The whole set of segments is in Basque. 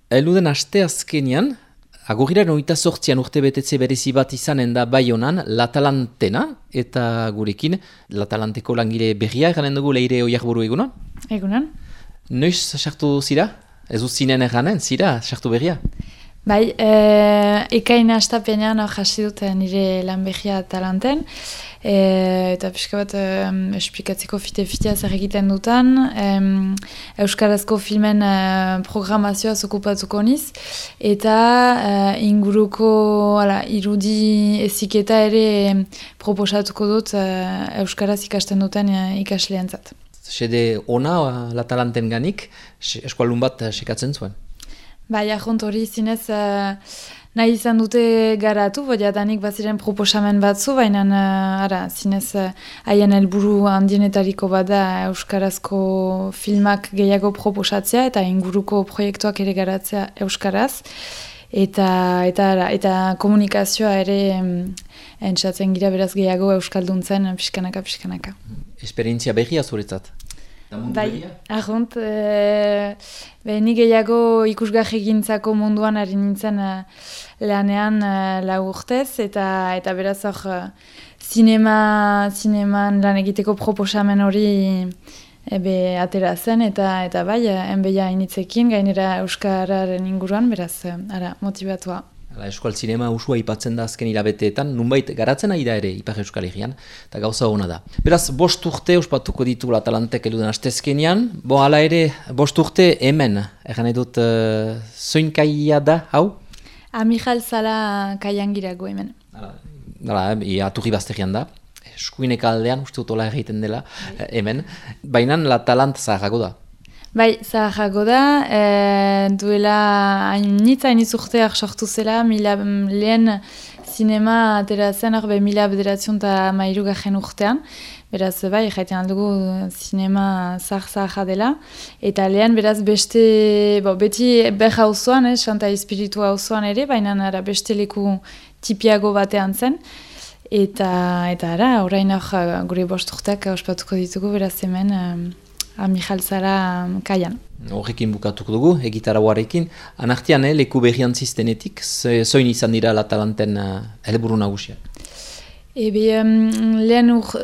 Eluden aste azkenian, agurriaren 28an urte betetze berezi bat izanen da Baionan, Latalantena, eta gurekin, Latalanteko langile berria, eranen dugu Leire Oiarburu egunon? Egunon. Noiz sartu zira? Ez du zinen eranen, zira, sartu berria? Bai, ekain astapenean hasi dut nire lan berria Talanten, eta pixka bat esplikatzeko fite-fitea zer egiten dutan, euskarazko filmen programazioaz okupatuko niz, eta inguruko irudi eziketa ere proposatuko dut euskaraz ikasten duten ikasleentzat. Sede ona Latalanten ganik, eskualdun bat sekatzen zuen? Bai, ahont hori zinez nahi izan dute garatu, jadanik baziren proposamen batzu, baina zinez haien helburu handienetariko bada euskarazko filmak gehiago proposatzea eta inguruko proiektuak ere garatzea euskaraz. Eta komunikazioa ere entzatzen gira beraz gehiago euskalduntzen pixkanaka. Esperientzia berria zuretzat? Bai, ahont, ni gehiago ikusgarri gintzako munduan ari nintzen lanean 4 urtez, eta beraz hor zineman lan egiteko proposamen hori atera zen, eta bai, enbeia initzekin, gainera euskararen inguruan, beraz, motibatua. Eskual zinema usua ipatzen da azken hilabeteetan, nunbait garatzen ari da ere Ipar Euskal Herrian, eta gauza hona da. Beraz, 5 urte ospatuko ditu Latalantek eluden astezkenian, hala ere, 5 urte hemen, egan edut, zoin kaia da, hau? Amijal Zala kaian girago hemen. Aturri bazterian da, eskuinek aldean, uste dut hola egiten dela, hemen, baina Latalant zaharrago da. Bai, zaharrago da, duela hainitz urteak sortu zela, lehen zinema atera zen, 1913 urtean, beraz, bai, jaiten aldugu zinema zaharra dela, eta lehen, beraz, beti beha auzoan, Santa Espiritu auzoan ere, baina beste leku tipiago batean zen, eta orain gure 5 urteak ospatuko ditugu, beraz hemen, Amijal Zala kaian. Horrekin bukatuko dugu, egitarauarekin. Anartian, leku berrian ziztenetik, zoin izan dira Latalanten helburu nagusiak?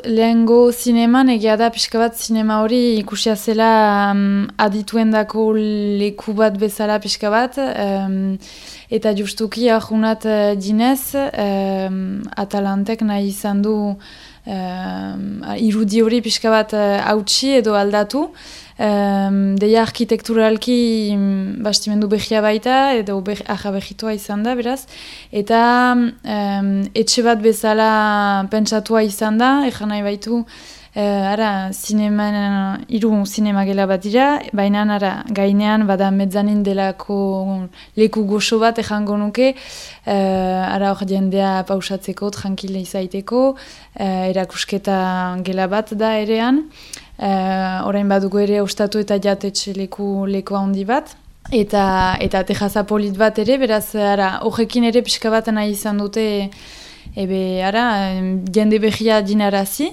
Lehengo zineman, egia da pixka bat zinema hori ikusia zela adituendako leku bat bezala pixka bat, eta justuki ahunat dinez, Atalantek nahi izan du irudi hori pixka bat hautsi edo aldatu, deia arkitekturalki bastimendu behia baita, edo behitua izan da, beraz, eta etxe bat bezala pentsatua izan da, egan nahi baitu, hiru zinema gela bat dira, baina gainean bada mezzanin delako leku goxo bat ejango nuke, hor jendea pausatzeko, tranquile izaiteko, erakusketa gela bat da erean, orain badugu ere ostatu eta jatetxe leku handi bat, eta tejaza polit bat ere, beraz, horrekin ere pixka bat nahi izan dute, jende behia dinarazi,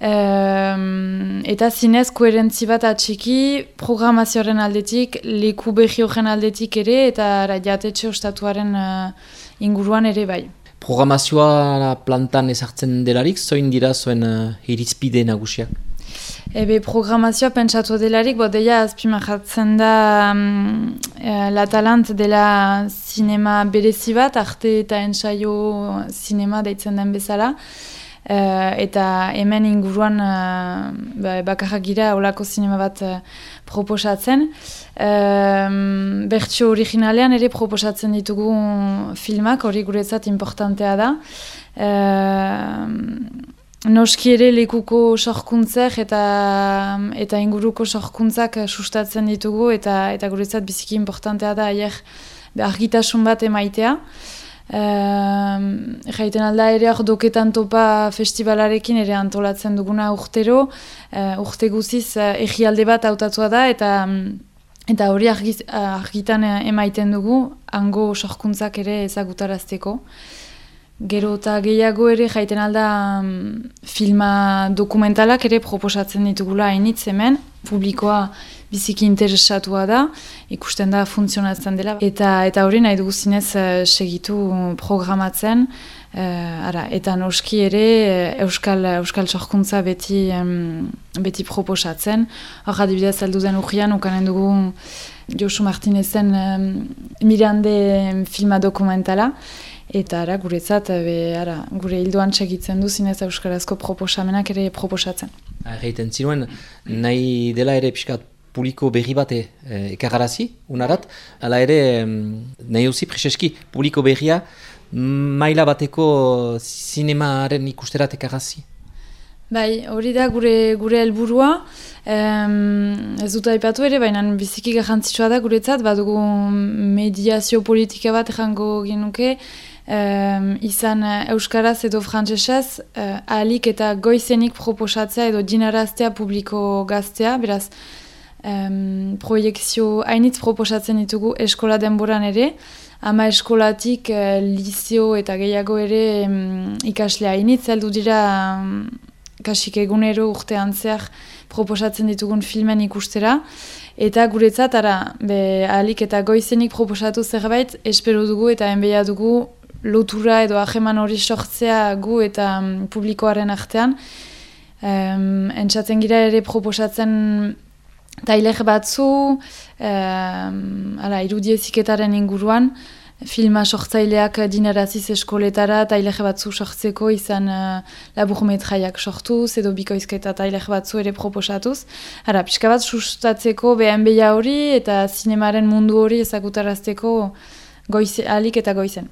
eta zinez koherentzi bat atxiki programazioaren aldetik, leku behi horren aldetik ere, eta jatetxe ostatuaren inguruan ere bai. Programazioa plantan ezartzen delarik, zoin dira zuen irizpide nagusiak? Programazioa pentsatu delarik, deia azpimarratzen da Latalant dela zinema berezi bat, arte eta ensaio zinema deitzen den bezala, eta hemen inguruan bakarrak gira olako zinema bat proposatzen. Bertsio originalean ere proposatzen ditugu filmak, hori guretzat importantea da. Noski ere lekuko sorkuntzak eta inguruko sorkuntzak sustatzen ditugu, eta guretzat biziki importantea da argitasun bat emaitea. Jaiten alda ere doketan topa festivalarekin ere antolatzen duguna urtero, urte guziz egialde bat hautatua da, eta hori argitan emaiten dugu, hango sorkuntzak ere ezagutarazteko. Gero eta gehiago ere jaiten alda filma dokumentalak ere proposatzen ditugula hainitz hemen, publikoa biziki interesatua da, ikusten da funtzionatzen dela. Eta hori nahi dugu zinez segitu programatzen, eta noski ere euskal sorkuntza beti proposatzen. Hor adibidez alduden urrian ukanen dugu Josu Martinezen Mirande filma dokumentala. Eta guretzat, gure hildoan segitzen du zinez euskarazko proposamenak ere proposatzen. Erraiten zinuen, nahi dela ere pixkat publiko berri bat ekararazi, unarat, hala ere nahi duzi preseski publiko berria maila bateko zinemaren ikusterat ekararazi. Bai, hori da gure helburua, ez dut aipatu ere, baina biziki garrantzitsua da guretzat, badugu mediazio politika bat jango genuke, izan euskaraz edo frantsesez ahalik eta goizenik proposatzea edo dinaraztea publiko gaztea, beraz proiekzio hainitz proposatzen ditugu eskola denboran ere, ama eskolatik lizeo eta gehiago ere ikaslea hainitz, heldu dira kasik egunero urtean zehar proposatzen ditugun filmen ikustera, eta guretzat ahalik eta goizenik proposatu zerbait espero dugu eta enbeia dugu lotura edo ajeman hori sortzea gu eta publikoaren artean. Entzatzen gira ere proposatzen tailer batzu, irudieziketaren inguruan, filma sortzaileak dinaraziz eskoletara tailer batzu sortzeko izan laburmetraiak sortuz edo bikoizketa tailer batzu ere proposatuz. Pixka bat sustatzeko beha hori eta zinemaren mundu hori ezagutarazteko ahalik eta goizen.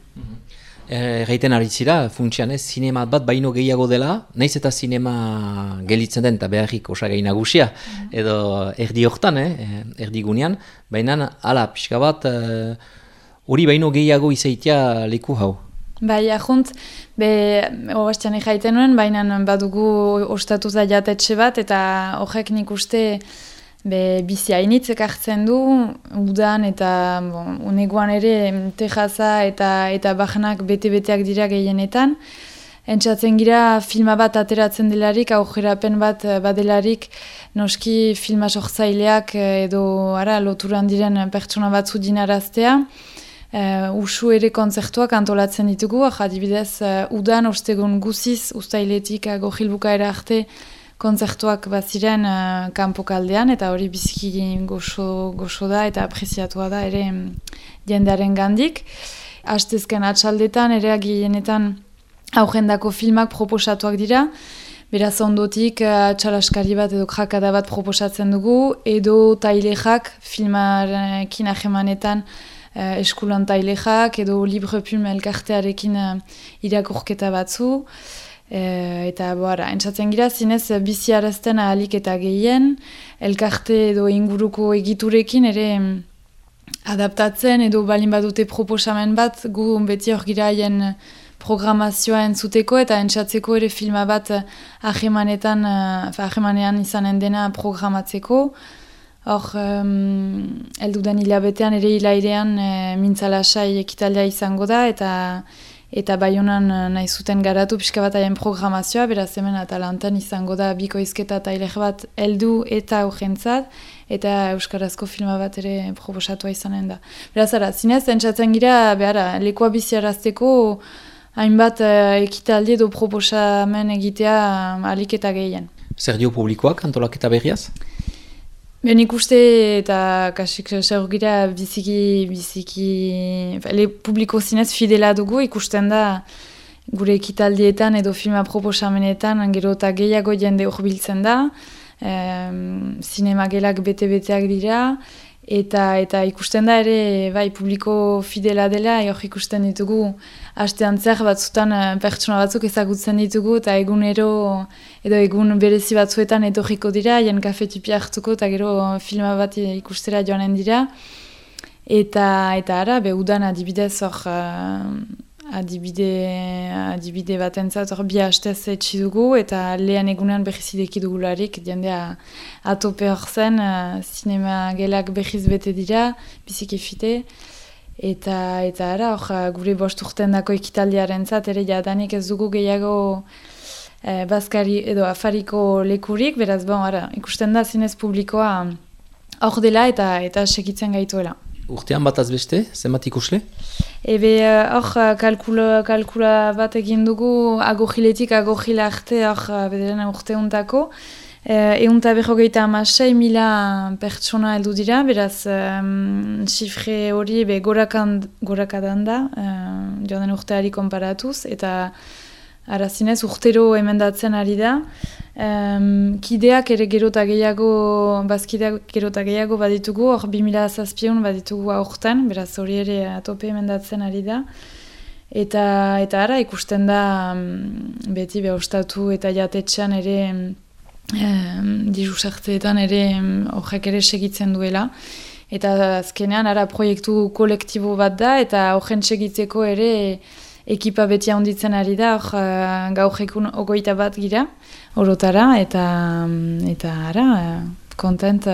Erraiten ari zira, funtsian zinema bat baino gehiago dela, nahiz eta zinema gelitzen den eta beharrik osagai nagusia, edo erdi hortan, erdi gunean, baina pixka bat hori baino gehiago izaitia leku hau. Bai, ahunt, oastian erraiten nuen, baina badugu ostatu da jatetxe bat, eta horrek nik uste bizi hainitz ekartzen du, udan eta uneguan ere tejaza eta bajanak bete-beteak dira gehienetan. Entzatzen gira filma bat ateratzen delarik, aujerapen bat badelarik, noski filma sortzaileak edo loturan diren pertsona batzu dinaraztea. Usu ere kontzertuak antolatzen ditugu, adibidez udan ostegun guziz, ustailetik gojilbukaera arte, kontzertuak baziren kanpokaldean, eta hori biziki goxo da eta apreziatua da ere jendearen gandik. Astezken atxaldetan ere gehienetan aurrendako filmak proposatuak dira, beraz ondotik txalaskari bat edo krakada bat proposatzen dugu, edo tailexak filmarekin ahemanetan eskulan tailexak, edo Libre Plume elkartearekin irakurketa batzu, eta entzatzen gira zinez biziarazten ahalik eta gehien, elkarte edo inguruko egiturekin ere adaptatzen edo balin badute proposamen bat gu beti hor gira haien programazioa entzuteko eta entzatzeko ere filma bat ahemanean izanen dena programatzeko. Hor, elduden hilabetean ere hilairean mintzalasai ekitaldea izango da eta Baionan nahi zuten garatu pixka bat haien programazioa, beraz hemen Atalantan izango da bikoizketa tailer bat heldu eta urgentzat, eta euskarazko filma bat ere proposatua izanen da. Beraz, zinez, entzatzen gira, lekoa biziarazteko hainbat ekitaldi edo proposamen egitea ahalik eta gehien. Zer dio publikoak antolaketa berriaz? Nik uste eta kasik gira biziki publiko zinez fidela dugu, ikusten da gure ekitaldietan edo filma proposamenetan gero eta gehiago jende hurbiltzen da, zinemagelak bete-beteak dira, eta ikusten da ere publiko fidela dela, hor ikusten ditugu astean zer batzutan pertsona batzuk ezagutzen ditugu eta egunero edo egun berezi batzuetan etorriko dira, haien kafetipia hartuko eta gero filma bat ikustera joanen dira. Eta udan adibidez hor adibide batentzat hor bi hastez etxi dugu eta lehen egunean berriz ideki dugularik, jendea atope hor zen, zinema gelak berriz bete dira, biziki fite. Eta hor gure 5 urtendako ekitaldiaren zat, ere jadanik ez dugu gehiago bazkari edo afariko lekurik, beraz, ikusten da zinez publikoa hor dela eta segitzen gaituela. Urtean bat azbeste, zenbat ikusle? Hor kalkula bat egin dugu agogiletik agogila arte bederen urteuntako. 156.000 pertsona heldu dira, beraz xifre hori gorakadan da, joan urteari konparatuz, eta zinez urtero emendatzen ari da. Kideak ere gerota gehiago, bazkideak gerota gehiago baditugu, hor 2007 baditugu aurten, beraz hori ere atope emendatzen ari da. Eta ikusten da beti ostatu eta jatetxean ere diru sartzeetan ere horrek ere segitzen duela. Eta azkenean proiektu kolektibo bat da eta horren segitzeko ere ekipa beti handitzen ari da, gaur egun 21 gira, orotara, eta kontent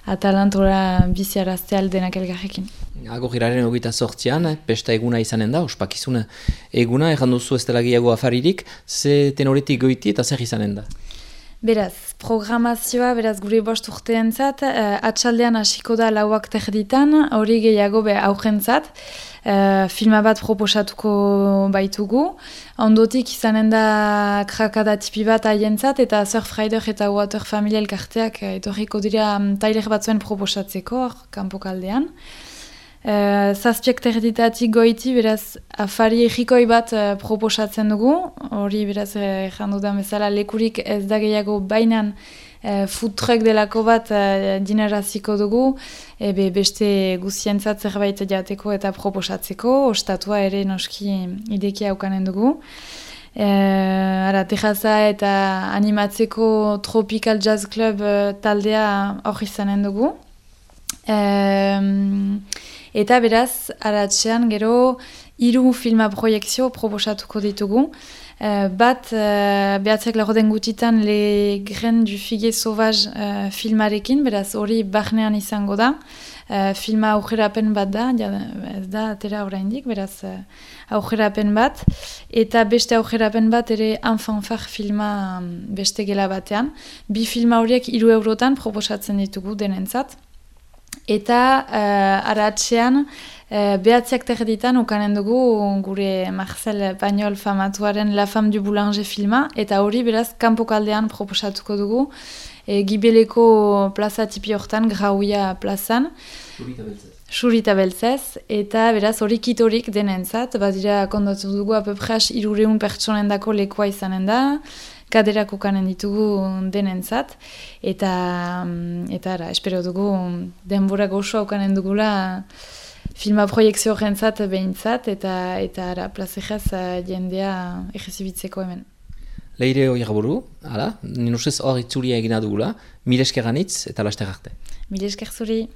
atalantora biziarazte aldenak elgarrekin. Agogiraren 28an, pesta eguna izanen da, ospakizuna eguna, erran duzu ez dela gehiago afaririk, ze tenoretik goiti eta zer izanen da? Beraz, programazioa, gure 5 urteentzat, atxaldean hasiko da 4:00 hori gehiago aurrentzat, filma bat proposatuko baitugu, ondotik izanen da krakada tipi bat haientzat, eta Surfrider eta Water Family elkarteak etorriko dira tailer batzuen proposatzeko, kanpokaldean. 7:30 goiti, beraz, afari egikoi bat proposatzen dugu, hori beraz, jandu da bezala lekurik ez da gehiago bainan food truck delako bat dineraziko dugu, beste guzientzat zerbait jateko eta proposatzeko, ostatua ere noski ideki haukanen dugu. Tejaza eta animatzeko Tropical Jazz Club taldea hor izanen dugu. Eta beraz, aratxean gero 3 filma proiektzio proposatuko ditugu. Bat, behatzeak lagoden gutitan Le Grain du Figuier Sauvage filmarekin, beraz hori barnean izango da. Filma aurrerapen bat da, ez da atera oraindik, beraz aurrerapen bat. Eta beste aurrerapen bat ere Enfanfar filma beste gela batean. 2 filma horiek 3 eurotan proposatzen ditugu denentzat. Eta aratxean, behatziak terditan ukanen dugu gure Marcel Pagnol famatuaren La Femme du Boulanger filma, eta hori beraz kanpokaldean proposatuko dugu, Gibeleko plaza tipi hortan, Grauia plazan, Xurita beltzez, eta beraz hori kitorik denentzat, badira kondatu dugu apepras 300 pertsonendako lekoa izanen da, kaderak ukanen ditugu denentzat, eta espero dugu denbora gozoa ukanen dugula filma proiektzio horrentzat behintzat, eta plazejaz jendea egizibitzeko hemen. Leire hori gaburu, nien ustez hor itzulia egina dugula, mil esker ganitz eta laster arte. Mil esker zuri.